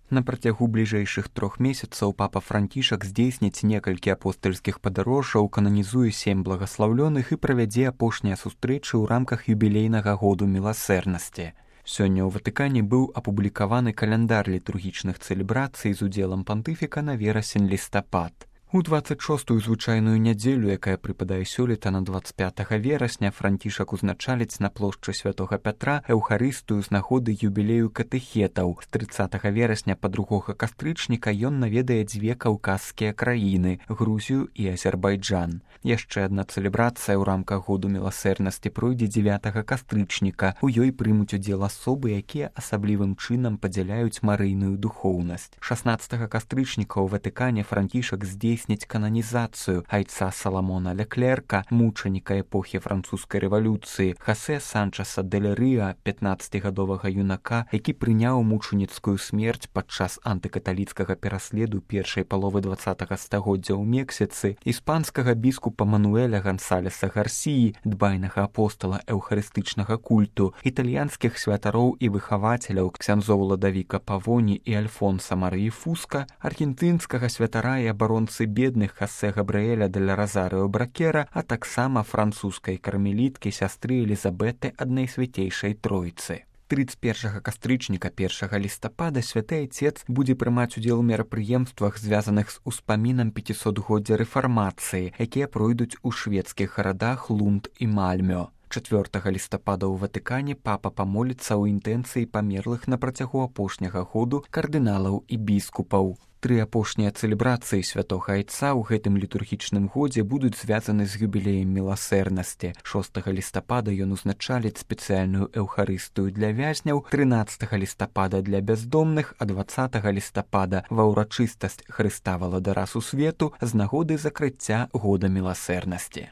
На працягу бліжэйшых 3 месяцаў папа Францішак здзейсніць некалькі апостальскіх падарожжаў, кананізуе 7 благаслаўлёных і правядзе апошнія сустрэчы ў рамках юбілейнага году міласэрнасці. Сёння ў Ватыкане быў апублікаваны каляндар літургічных цэлебрацый з удзелам пантыфіка на верасень-лістапад. У 26-ю звычайную нядзелю, якая прыпадае сёлета на 25 верасня, Францішак узначаліць на плошчы Святога Пятра эўхарыстыю з нагоды юбілею катэхетаў. З 30 верасня па 2 кастрычніка ён наведае 2 каўказскія краіны – Грузію і Азербайджан. Яшчэ адна цэлебрацыя ў рамках году міласэрнасці пройдзе 9 кастрычніка. У ёй прымуць удзел асобы, якія асаблівым чынам падзяляюць марыйную духоўнасць. 16 кастрычніка ў Ватыкане Францішак здзейсніць кананізацыю айца Саламона Леклерка, мучаніка эпохі французскай рэвалюцыі, Хосе Санчеса дель Ріа, 15-гадовага юнака, які прыняў мучаніцкую смерць падчас антыкаталіцкага пераследу першай паловы 20 стагоддзя ў Мексіцы, іспанскага біскупа Мануэля Гансалеса Гарсіі, дбайнага апостала эўхарыстычнага культу, італьянскіх святароў і выхавацеляў ксяндзоў Ладавіка Павоні і Альфонса Марыі Фуска, аргентынскага святара і абаронцы бедных Хосе Габрыэля дель Розарыо Бракера, а таксама французскай кармеліткі сястры Элізабеты ад Найсвяцейшай Тройцы. 31 кастрычніка 1 лістапада святы Айцец будзе прымаць удзел у мерапрыемствах, звязаных з успамінам 500-годдзя рэфармацыі, якія пройдуць у шведскіх гарадах Лунд і Мальмё. 4 лістапада ў Ватыкане папа памоліцца ў інтэнцыі памерлых на працягу апошняга году кардыналаў і біскупаў. 3 апошнія цэлебрацыі святога Айца ў гэтым літургічным годзе будуць звязаны з юбілеем міласэрнасці. 6 лістапада ён узначаліць спецыяльную эўхарыстыю для вязняў, 13 лістапада для бяздомных, а 20 лістапада ва ўрачыстасць Хрыста Валадара Сусвету з нагоды закрыцця года міласэрнасці.